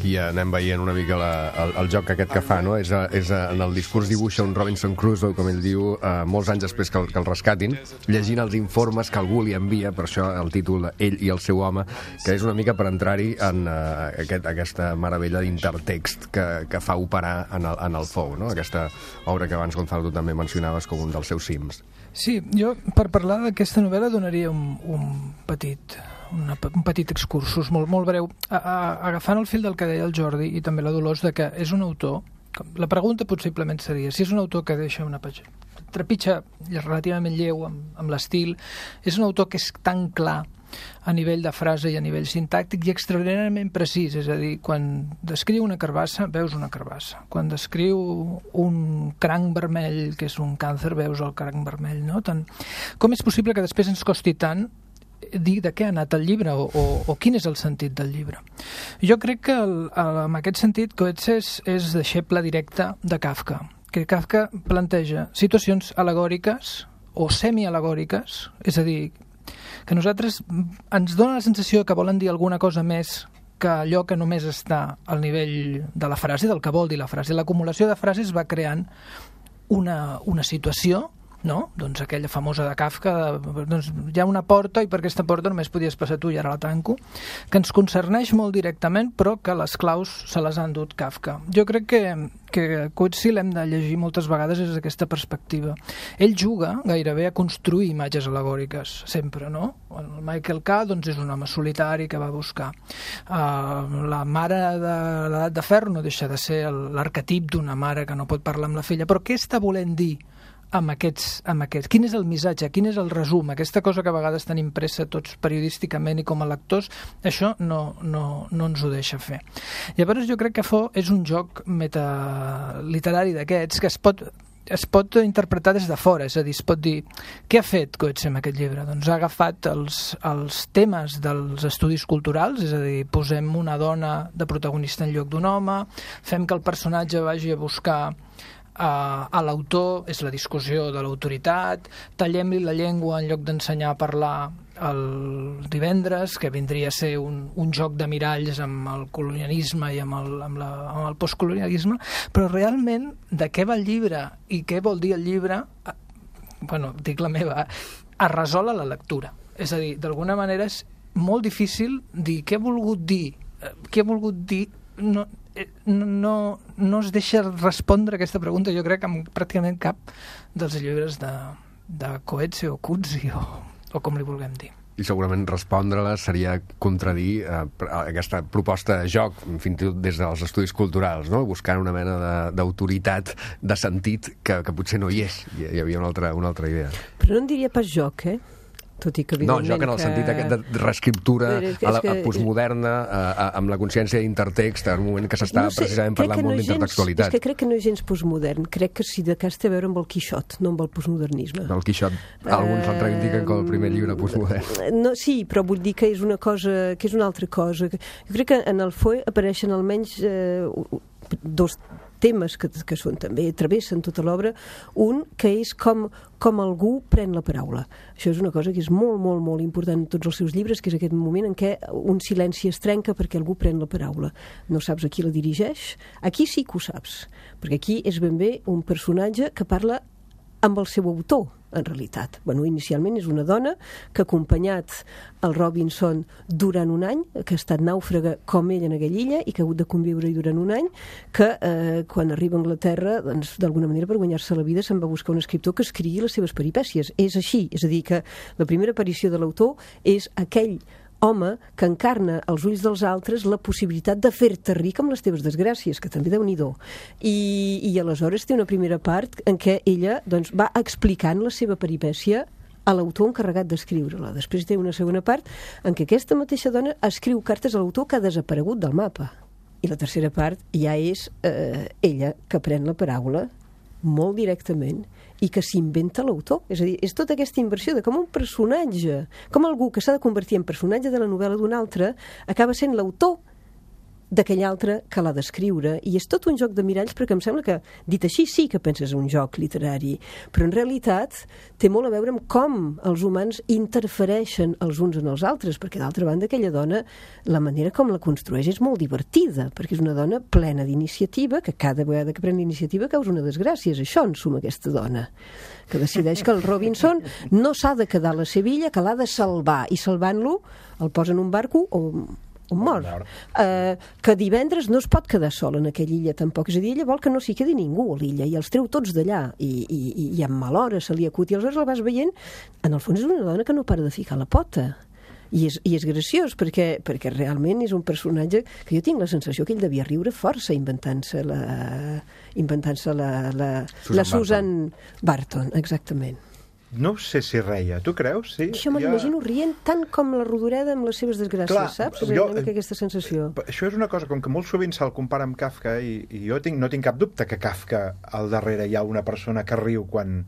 I anem veient una mica la, el, el joc aquest que fa, no? És, a, és a, en el discurs dibuixa un Robinson Crusoe, com ell diu, eh, molts anys després que el, que el rescatin, llegint els informes que algú li envia, per això el títol Ell i el seu home, que és una mica per entrar-hi en uh, aquest, aquesta meravella d'intertext que, que fa operar en el, en el Fou, no? Aquesta obra que abans, Gonzalo, tu també mencionaves com un dels seus cims. Sí, jo per parlar d'aquesta novel·la donaria un, un petit... Una, un petit excursus, molt, molt breu, a, a, agafant el fil del que deia el Jordi i també la Dolors, de que és un autor, la pregunta possiblement seria si és un autor que deixa una trepitja relativament lleu amb, amb l'estil, és un autor que és tan clar a nivell de frase i a nivell sintàctic i extraordinàriament precís, és a dir, quan descriu una carbassa, veus una carbassa. Quan descriu un cranc vermell, que és un càncer, veus el cranc vermell, no? Tant... Com és possible que després ens costi tant dir de què ha anat el llibre o, o, o quin és el sentit del llibre? Jo crec que el, el, en aquest sentit Coetzee és, és deixeble directe de Kafka, que Kafka planteja situacions al·legòriques o semi-al·legòriques, és a dir, que nosaltres ens dona la sensació que volen dir alguna cosa més que allò que només està al nivell de la frase, del que vol dir la frase. L'acumulació de frases va creant una, una situació, no? Doncs aquella famosa de Kafka, doncs hi ha una porta i per aquesta porta només podies passar tu i ara la tanco, que ens concerneix molt directament, però que les claus se les ha endut Kafka. Jo crec que, que Coetzee l'hem de llegir moltes vegades des d'aquesta perspectiva. Ell juga gairebé a construir imatges al·legòriques, sempre, no? El Michael K. doncs és un home solitari que va buscar. Uh, la mare de l'edat de ferro no deixa de ser l'arquetip d'una mare que no pot parlar amb la filla, però què està volent dir amb aquests, amb aquests? Quin és el missatge? Quin és el resum? Aquesta cosa que a vegades estan impressa tots periodísticament i com a lectors, això no, no, no ens ho deixa fer. Llavors jo crec que Fo és un joc metaliterari d'aquests que es pot, es pot interpretar des de fora, és a dir, es pot dir què ha fet Coetzee amb aquest llibre? Doncs ha agafat els, els temes dels estudis culturals, és a dir, posem una dona de protagonista en lloc d'un home, fem que el personatge vagi a buscar Uh, a l'autor, és la discussió de l'autoritat, tallem-li la llengua en lloc d'ensenyar a parlar el divendres, que vindria a ser un, un joc de miralls amb el colonialisme i amb el, amb la, amb el postcolonialisme, però realment de què va el llibre i què vol dir el llibre, uh, bueno, dic la meva, es resol a la lectura. És a dir, d'alguna manera és molt difícil dir què ha volgut dir, uh, què ha volgut dir, no, no, no es deixa respondre aquesta pregunta, jo crec, amb pràcticament cap dels llibres de, de Coetzee o Coetzee o, o com li vulguem dir. I segurament respondre-les seria contradir eh, aquesta proposta de joc, fins i tot des dels estudis culturals, no? Buscant una mena d'autoritat, de, de sentit, que, que potser no hi és. Hi, hi havia una altra, una altra idea. Però no en diria pas joc, eh? Tot i que, no, joc en el que... sentit aquest de reescriptura que, a la que... a postmoderna, a, a, amb la consciència d'intertext, en un moment que s'està no sé, precisament parlant molt no d'intertextualitat. És que crec que no és gens postmodern. Crec que si de cas té a veure amb el Quixot, no amb el postmodernisme. El Quixot, alguns uh... el reivindiquen com el primer llibre postmodern. No, sí, però vull dir que és una cosa, que és una altra cosa. Jo crec que en el Foe apareixen almenys eh, dos temes que, que són també, travessen tota l'obra. Un, que és com, com algú pren la paraula. Això és una cosa que és molt, molt, molt important en tots els seus llibres, que és aquest moment en què un silenci es trenca perquè algú pren la paraula. No saps a qui la dirigeix. Aquí sí que ho saps, perquè aquí és ben bé un personatge que parla amb el seu autor, en realitat. Bueno, inicialment és una dona que ha acompanyat el Robinson durant un any, que ha estat nàufraga com ell en aquella illa i que ha hagut de conviure-hi durant un any, que eh, quan arriba a Anglaterra, doncs, d'alguna manera per guanyar-se la vida se'n va buscar un escriptor que escrigui les seves peripècies. És així, és a dir, que la primera aparició de l'autor és aquell home que encarna als ulls dels altres la possibilitat de fer-te ric amb les teves desgràcies, que també déu-n'hi-do. I, I aleshores té una primera part en què ella doncs, va explicant la seva peripècia a l'autor encarregat d'escriure-la. Després té una segona part en què aquesta mateixa dona escriu cartes a l'autor que ha desaparegut del mapa. I la tercera part ja és eh, ella que pren la paraula molt directament i que s'inventa l'autor. És a dir, és tota aquesta inversió de com un personatge, com algú que s'ha de convertir en personatge de la novel·la d'un altre, acaba sent l'autor d'aquell altre que l'ha d'escriure. I és tot un joc de miralls, perquè em sembla que, dit així, sí que penses un joc literari, però en realitat té molt a veure amb com els humans interfereixen els uns en els altres, perquè d'altra banda aquella dona, la manera com la construeix és molt divertida, perquè és una dona plena d'iniciativa, que cada vegada que pren iniciativa causa una desgràcia. És això en suma aquesta dona, que decideix que el Robinson no s'ha de quedar a la Sevilla, que l'ha de salvar, i salvant-lo el posa en un barco o un mort, uh, que divendres no es pot quedar sol en aquella illa tampoc, és a dir, ella vol que no s'hi quedi ningú a l'illa i els treu tots d'allà i, i, i amb mal hora se li acut i aleshores el vas veient, en el fons és una dona que no para de ficar la pota i és, i és graciós perquè, perquè realment és un personatge que jo tinc la sensació que ell devia riure força inventant-se la inventant-se la, la, Susan la Susan Barton. Barton, exactament. No sé si reia, tu creus? Sí? Això me l'imagino ja... rient tant com la Rodoreda amb les seves desgràcies, clar, saps? És jo, una mica aquesta sensació. Això és una cosa, com que molt sovint se'l compara amb Kafka, i, i jo tinc, no tinc cap dubte que Kafka al darrere hi ha una persona que riu quan...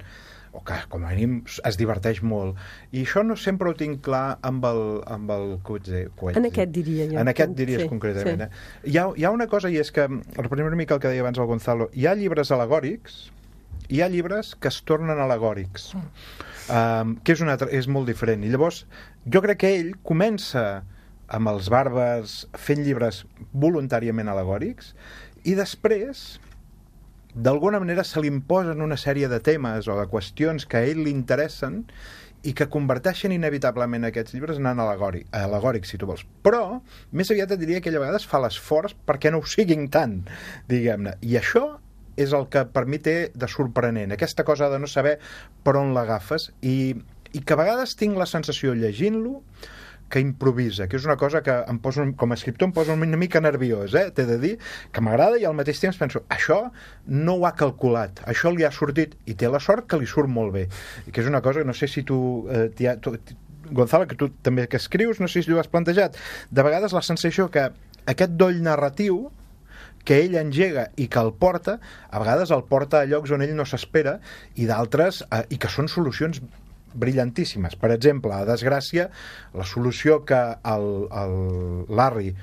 o que com a mínim es diverteix molt. I això no sempre ho tinc clar amb el, amb el Coetzee. En aquest diria jo. En aquest diries sí, concretament. Sí. Eh? Hi, ha, hi ha una cosa, i és que, reprenem una mica el que deia abans el Gonzalo, hi ha llibres alegòrics, hi ha llibres que es tornen alegòrics, um, que és, una, és molt diferent. I llavors, jo crec que ell comença amb els bàrbars fent llibres voluntàriament alegòrics i després, d'alguna manera, se li imposen una sèrie de temes o de qüestions que a ell li interessen i que converteixen inevitablement aquests llibres en alegòrics, alegòrics, si tu vols. Però, més aviat et diria que ella a vegades fa l'esforç perquè no ho siguin tant, diguem-ne. I això és el que per mi té de sorprenent, aquesta cosa de no saber per on l'agafes i, i que a vegades tinc la sensació llegint-lo que improvisa, que és una cosa que em posa, com a escriptor em posa una mica nerviós, eh? T'he de dir que m'agrada i al mateix temps penso, això no ho ha calculat, això li ha sortit i té la sort que li surt molt bé, i que és una cosa que no sé si tu, eh, ha, tu Gonzalo, que tu també que escrius, no sé si tu ho has plantejat, de vegades la sensació que aquest doll narratiu que ell engega i que el porta, a vegades el porta a llocs on ell no s'espera i d'altres, eh, i que són solucions brillantíssimes. Per exemple, a Desgràcia, la solució que el, el Larry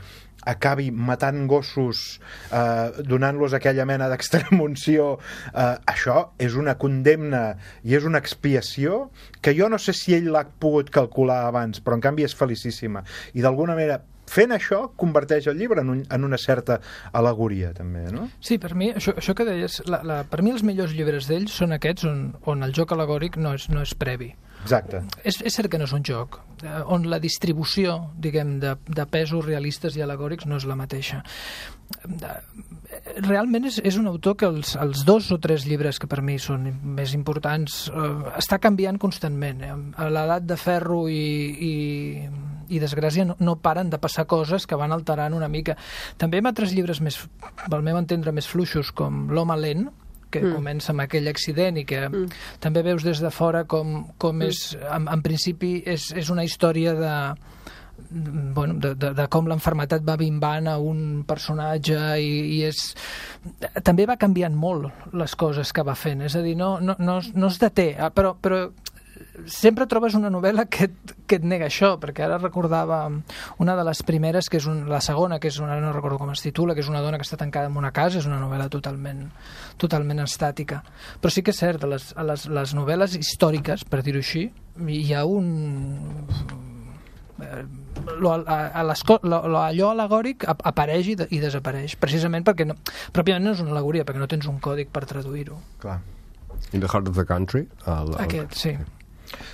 acabi matant gossos, eh, donant-los aquella mena d'extremunció, eh, això és una condemna i és una expiació que jo no sé si ell l'ha pogut calcular abans, però en canvi és felicíssima. I d'alguna manera fent això, converteix el llibre en, un, en una certa al·legoria, també, no? Sí, per mi, això, això que deies, la, la, per mi els millors llibres d'ells són aquests on, on el joc al·legòric no és, no és previ. Exacte. És, és cert que no és un joc, eh, on la distribució, diguem, de, de pesos realistes i alegòrics no és la mateixa. Realment és, és un autor que els, els dos o tres llibres que per mi són més importants eh, està canviant constantment. Eh? A l'edat de ferro i, i, i desgràcia no, no paren de passar coses que van alterant una mica. També amb altres llibres més, al meu entendre, més fluixos, com L'home lent, que mm. comença amb aquell accident i que mm. també veus des de fora com, com és, en, en principi és, és una història de, bueno, de, de, de com l'enfermetat va bimbant a un personatge i, i és... també va canviant molt les coses que va fent, és a dir, no, no, no, no es deté, però, però sempre trobes una novel·la que, que et nega això, perquè ara recordava una de les primeres, que és un, la segona, que és una, no recordo com es titula, que és una dona que està tancada en una casa, és una novel·la totalment, totalment estàtica. Però sí que és cert, a les, a les, les novel·les històriques, per dir-ho així, hi ha un... Lo, a, a lo, lo, allò alegòric apareix i, de, i desapareix, precisament perquè no, pròpiament no és una al·legoria, perquè no tens un còdic per traduir-ho. Clar. In the Heart of the Country? El, el... Aquest, sí.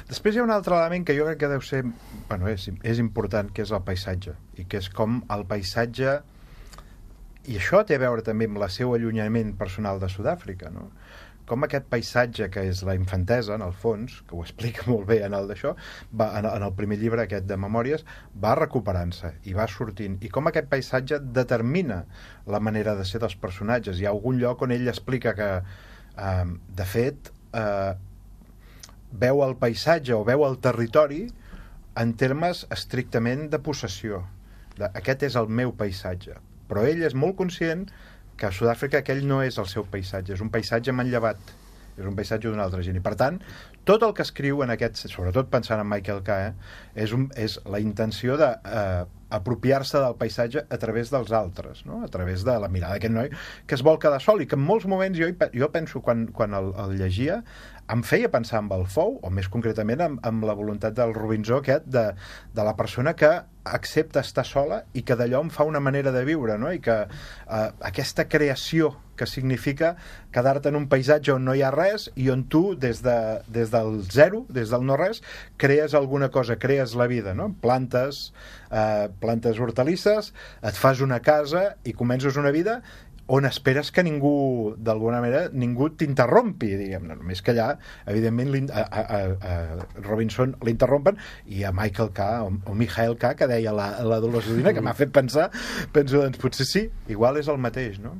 Després hi ha un altre element que jo crec que deu ser, bueno, és, és important, que és el paisatge, i que és com el paisatge, i això té a veure també amb el seu allunyament personal de Sud-àfrica, no? Com aquest paisatge, que és la infantesa, en el fons, que ho explica molt bé en el d'això, va, en, en el primer llibre aquest de Memòries, va recuperant-se i va sortint, i com aquest paisatge determina la manera de ser dels personatges. Hi ha algun lloc on ell explica que, eh, de fet, eh, veu el paisatge o veu el territori en termes estrictament de possessió. De, aquest és el meu paisatge. Però ell és molt conscient que a Sud-àfrica aquell no és el seu paisatge, és un paisatge manllevat, és un paisatge d'una altra gent. I per tant, tot el que escriu en aquest, sobretot pensant en Michael K, eh, és, un, és la intenció de eh, apropiar-se del paisatge a través dels altres, no? A través de la mirada d'aquest noi que es vol quedar sol i que en molts moments jo, jo penso quan, quan el, el llegia em feia pensar en el Fou, o més concretament amb, amb la voluntat del Robinson aquest de, de la persona que accepta estar sola i que d'allò em fa una manera de viure, no? I que eh, aquesta creació que significa quedar-te en un paisatge on no hi ha res i on tu, des, de, des del zero, des del no-res, crees alguna cosa, crees la vida, no? Plantes, eh, plantes hortalisses, et fas una casa i comences una vida on esperes que ningú, d'alguna manera, ningú t'interrompi, diguem, no, només que allà, evidentment, a, a, a Robinson l'interrompen, i a Michael K, o, o Michael K, que deia la, la Dolors Udina, que m'ha fet pensar, penso, doncs potser sí, igual és el mateix, no?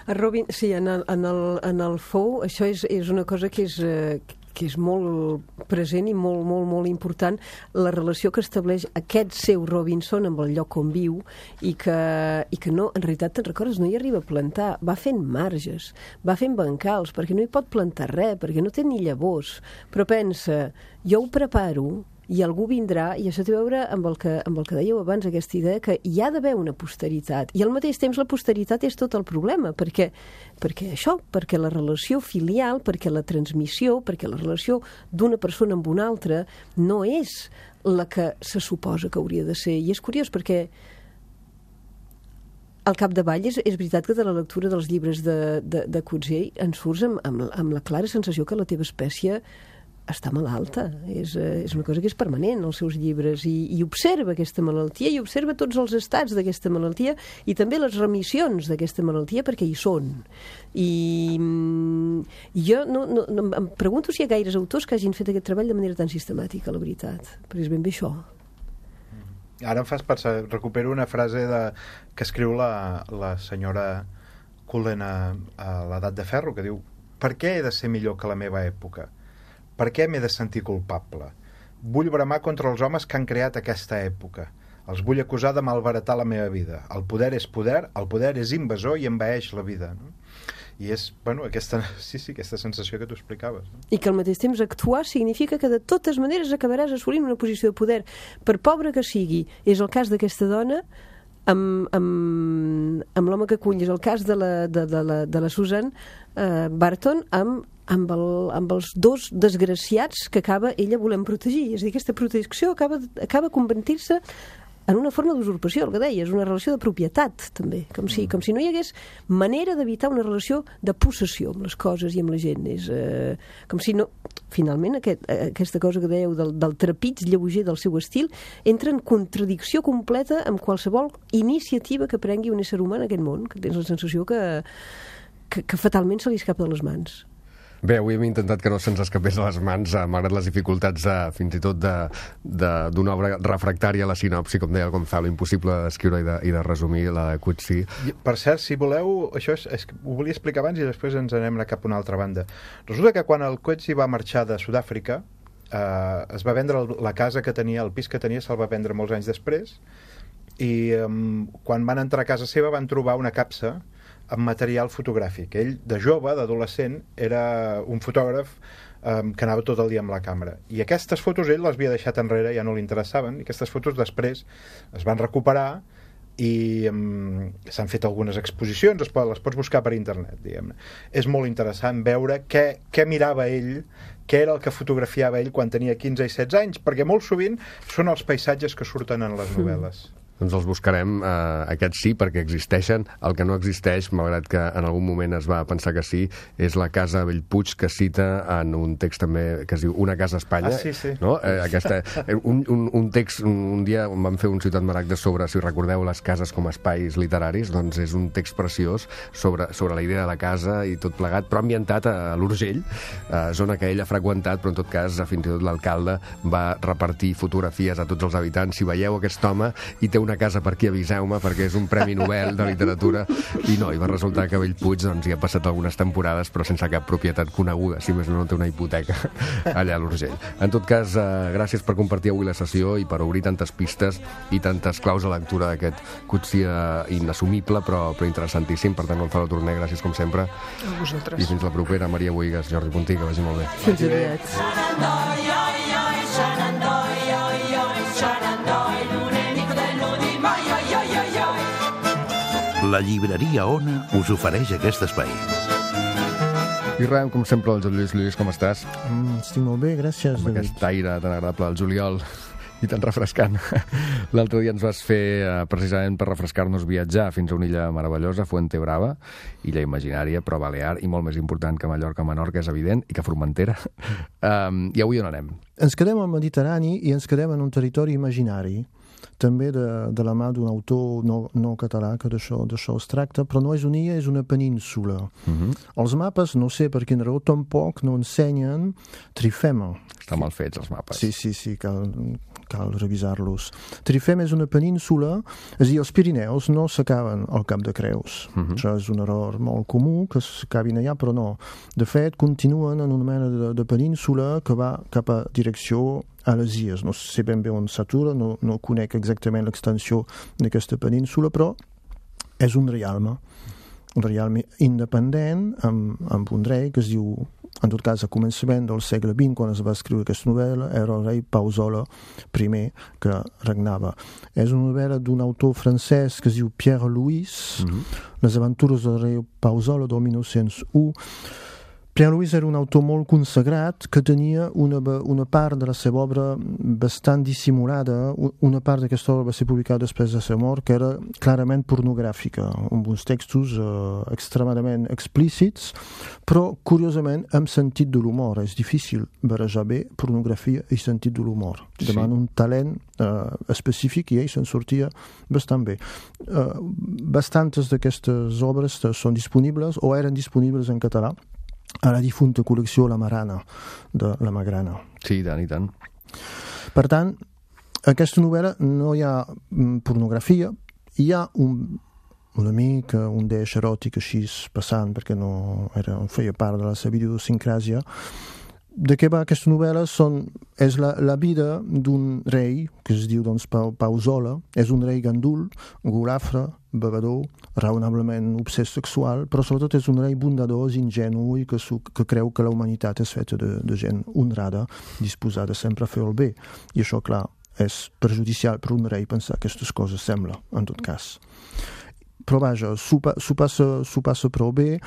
A Robin, sí, en el, en el, en el Fou, això és, és una cosa que és... Eh, que és molt present i molt, molt, molt important, la relació que estableix aquest seu Robinson amb el lloc on viu i que, i que no, en realitat, te'n recordes, no hi arriba a plantar, va fent marges, va fent bancals, perquè no hi pot plantar res, perquè no té ni llavors, però pensa, jo ho preparo i algú vindrà, i això té a veure amb el que, amb el que dèieu abans, aquesta idea que hi ha d'haver una posteritat, i al mateix temps la posteritat és tot el problema, perquè, perquè això, perquè la relació filial, perquè la transmissió, perquè la relació d'una persona amb una altra no és la que se suposa que hauria de ser, i és curiós perquè al capdavall és, és veritat que de la lectura dels llibres de, de, de Coetzee en surts amb, amb, amb la clara sensació que la teva espècie està malalta, és, és una cosa que és permanent als seus llibres, i, i observa aquesta malaltia, i observa tots els estats d'aquesta malaltia, i també les remissions d'aquesta malaltia, perquè hi són. I, i jo no, no, no, em pregunto si hi ha gaires autors que hagin fet aquest treball de manera tan sistemàtica, la veritat, perquè és ben bé això. Ara em fas pensar, recupero una frase de, que escriu la, la senyora Cullen a, a l'Edat de Ferro, que diu: per què he de ser millor que la meva època? Per què m'he de sentir culpable? Vull bramar contra els homes que han creat aquesta època. Els vull acusar de malbaratar la meva vida. El poder és poder, el poder és invasor i envaeix la vida. No? I és, bueno, aquesta, sí, sí, aquesta sensació que tu explicaves. No? I que al mateix temps actuar significa que de totes maneres acabaràs assolint una posició de poder. Per pobre que sigui, és el cas d'aquesta dona, amb, amb, amb l'home que acull, és el cas de la, de, de la, de la Susan uh, Barton, amb Amb, el, amb els dos desgraciats que acaba ella volent protegir. És a dir, aquesta protecció acaba, acaba convertint-se en una forma d'usurpació, el que deies, una relació de propietat, també, com si, com si no hi hagués manera d'evitar una relació de possessió amb les coses i amb la gent. És eh, com si no... Finalment, aquest, aquesta cosa que dèieu del, del trepig lleuger del seu estil entra en contradicció completa amb qualsevol iniciativa que prengui un ésser humà en aquest món, que tens la sensació que, que, que fatalment se li escapa de les mans. Bé, avui hem intentat que no se'ns escapés de les mans, eh, malgrat les dificultats de, fins i tot d'una obra refractària a la sinopsi, com deia el Gonzalo, impossible d'escriure i, de, i de resumir la de Coetzee. Per cert, si voleu, això és, és, ho volia explicar abans i després ens anem cap a una altra banda. Resulta que quan el Coetzee va marxar de Sud-àfrica, eh, es va vendre la casa que tenia, el pis que tenia se'l va vendre molts anys després, i eh, quan van entrar a casa seva van trobar una capsa amb material fotogràfic. Ell, de jove, d'adolescent, era un fotògraf um, que anava tot el dia amb la càmera. I aquestes fotos ell les havia deixat enrere, ja no li interessaven, i aquestes fotos després es van recuperar i um, s'han fet algunes exposicions, es pot, les pots buscar per internet, diguem-ne. És molt interessant veure què, què mirava ell, què era el que fotografiava ell quan tenia quinze i setze anys, perquè molt sovint són els paisatges que surten en les novel·les. Doncs els buscarem, eh, aquests sí, perquè existeixen. El que no existeix, malgrat que en algun moment es va pensar que sí, és la casa Bellpuig, que cita en un text també que es diu Una casa a Espanya. Ah, sí, sí. No? Eh, aquesta, un, un, un text, un, un dia on vam fer un Ciutat Maragda sobre, si recordeu, les cases com a espais literaris, doncs és un text preciós sobre, sobre la idea de la casa i tot plegat, però ambientat a l'Urgell, eh, zona que ell ha freqüentat, però en tot cas fins i tot l'alcalde va repartir fotografies a tots els habitants. Si veieu aquest home i té una casa per aquí, aviseu-me, perquè és un premi Nobel de literatura, i no, i va resultar que Bellpuig doncs, hi ha passat algunes temporades però sense cap propietat coneguda, si més no, no té una hipoteca allà a l'Urgell. En tot cas, eh, gràcies per compartir avui la sessió i per obrir tantes pistes i tantes claus de lectura d'aquest Coetzee inassumible però, però interessantíssim. Per tant, Gonzalo Torné, gràcies com sempre. A vosaltres. I fins la propera. Maria Boigas, Jordi Puntí, que vagi molt bé. Fins aviat. La llibreria Ona us ofereix aquest espai. I res, com sempre, el Lluís. Lluís, com estàs? Mm, estic molt bé, gràcies, Amb David. aquest aire tan agradable al juliol i tan refrescant. L'altre dia ens vas fer, eh, precisament per refrescar-nos, viatjar fins a una illa meravellosa, Fuentebrava, illa imaginària, però balear, i molt més important que Mallorca, Menorca, és evident, i que Formentera. Um, I avui on anem? Ens quedem al Mediterrani i ens quedem en un territori imaginari, també de, de la mà d'un autor no, no català, que d'això es tracta, però no és una illa, és una península. Uh-huh. Els mapes, no sé per quina raó, tampoc no ensenyen Trifema. Estan mal fets, els mapes. Sí, sí, sí, cal, cal revisar-los. Trifema és una península, és a dir, els Pirineus no s'acaben al Cap de Creus. Uh-huh. Això és un error molt comú, que s'acabin allà, però no. De fet, continuen en una mena de, de península que va cap a direcció a les illes. No sé ben bé on s'atura, no, no conec exactament l'extensió d'aquesta península, però és un reialme, un reialme independent, amb, amb un rei que es diu, en tot cas, a començament del segle vint, quan es va escriure aquesta novel·la, era el rei Pausola I que regnava. És una novel·la d'un autor francès que es diu Pierre Louis, mm-hmm. Les aventures del rei Pausola, del mil nou-cents u. Pierre Louis era un autor molt consagrat que tenia una, una part de la seva obra bastant dissimulada. Una part d'aquesta obra va ser publicada després de la seva mort, que era clarament pornogràfica, amb uns textos eh, extremadament explícits, però, curiosament, amb sentit de l'humor. És difícil barrejar bé pornografia i sentit de l'humor. Sí. Demana un talent eh, específic i ell se'n sortia bastant bé. Eh, bastantes d'aquestes obres són disponibles o eren disponibles en català a la difunta col·lecció La Marana, de la Magrana. Sí, tant i tant. Per tant, aquesta novel·la no hi ha pornografia, hi ha un, una mica un deix eròtic així passant, perquè no era, feia part de la seva idiosincràsia. De què va aquesta novel·la? Són, és la, la vida d'un rei, que es diu doncs, Pau, Pausola. És un rei gandul, golafre, bevedor, raonablement obsès sexual, però sobretot és un rei bondador, ingenu i que, que creu que la humanitat és feta de, de gent honrada, disposada sempre a fer el bé. I això, clar, és perjudicial per un rei pensar aquestes coses, sembla, en tot cas. Però vaja, s'ho passa, passa prou bé.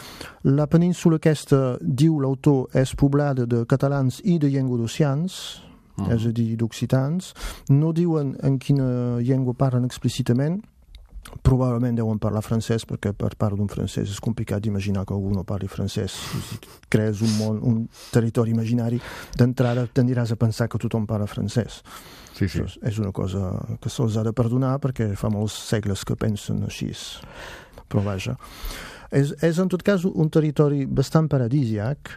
La península aquesta, diu l'autor, és poblada de catalans i de llenguadocians, mm. és a dir, d'occitans. No diuen en quina llengua parlen explícitament, probablement deuen parlar francès, perquè per part d'un francès és complicat d'imaginar que algú no parli francès. Si crees un món, un territori imaginari, d'entrada tendiràs a pensar que tothom parla francès. Sí, sí. Això és una cosa que se'ls ha de perdonar perquè fa molts segles que pensen així. Però vaja. És, és en tot cas un territori bastant paradisiac.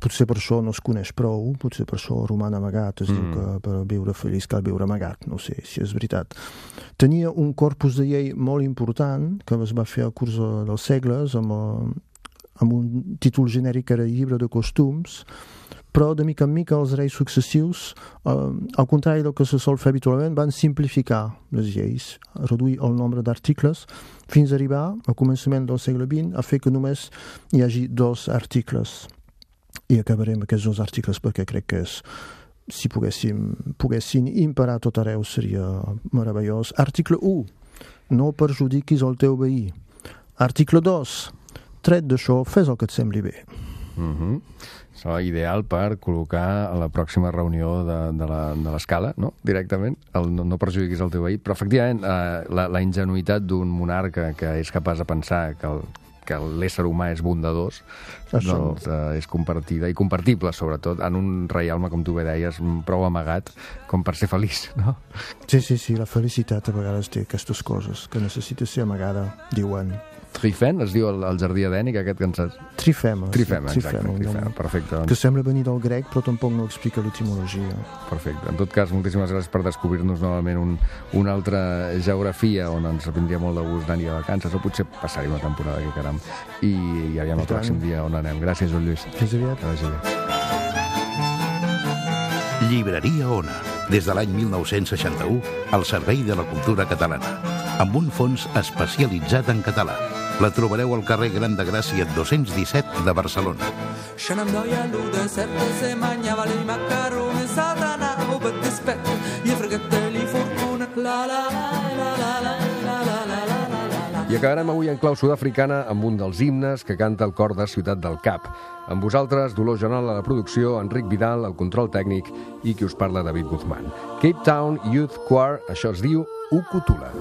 Potser per això no es coneix prou, potser per això roman amagat, es mm. diu que per viure feliç cal viure amagat, no sé si és veritat. Tenia un corpus de llei molt important que es va fer al curs dels segles amb, amb un títol genèric que era Llibre de Costums, però de mica en mica els reis successius, eh, al contrari del que se sol fer habitualment, van simplificar les lleis, reduir el nombre d'articles, fins a arribar, al començament del segle vint, a fer que només hi hagi dos articles. I acabarem aquests dos articles perquè crec que és, si poguéssim, poguessin imperar tot arreu seria meravellós. Article u, no perjudiquis el teu veí. Article dos, tret d'això, fes el que et sembli bé. Mm-hmm. Això és ideal per col·locar a la pròxima reunió de, de la- de l'escala, no? Directament, el no, no perjudiquis el teu veí. Però, efectivament, eh, la, la ingenuïtat d'un monarca que és capaç de pensar que el, que l'ésser humà és bondadós, Això. doncs eh, és compartida i compartible, sobretot, en un reialme, com tu bé deies, prou amagat com per ser feliç, no? Sí, sí, sí, la felicitat a vegades té aquestes coses que necessita ser amagada, diuen. Trifen, es diu el, el jardí edènic, aquest que ens has... Trifema. Trifema, sí, exacte, un trifema, nom perfecte. Que Doncs, sembla venir del grec, però tampoc no explica l'etimologia. perfecte. En tot cas, moltíssimes gràcies per descobrir-nos novament un, una altra geografia on ens vindria molt de gust anar-hi de vacances, o potser passar-hi una temporada, que caram. I, i aviam el I tant. pròxim dia on anem. Gràcies, Joan Lluís. Fins aviat. Que vagi bé. Llibreria Ona, des de l'any mil nou-cents seixanta-u, al servei de la cultura catalana, amb un fons especialitzat en català. La trobareu al carrer Gran de Gràcia dos-cents disset de Barcelona. Se nem doia lude, sette se mangiava i macaroni, satana, o per dispetto, gli fregette li fortuna, la la la la la la la la la la la. I acabarem avui en clau sud-africana amb un dels himnes que canta el cor de Ciutat del Cap. Amb vosaltres, Dolors Jonal a la producció, Enric Vidal al control tècnic i qui us parla, David Guzmán. Cape Town Youth Choir, això es diu Ukutula.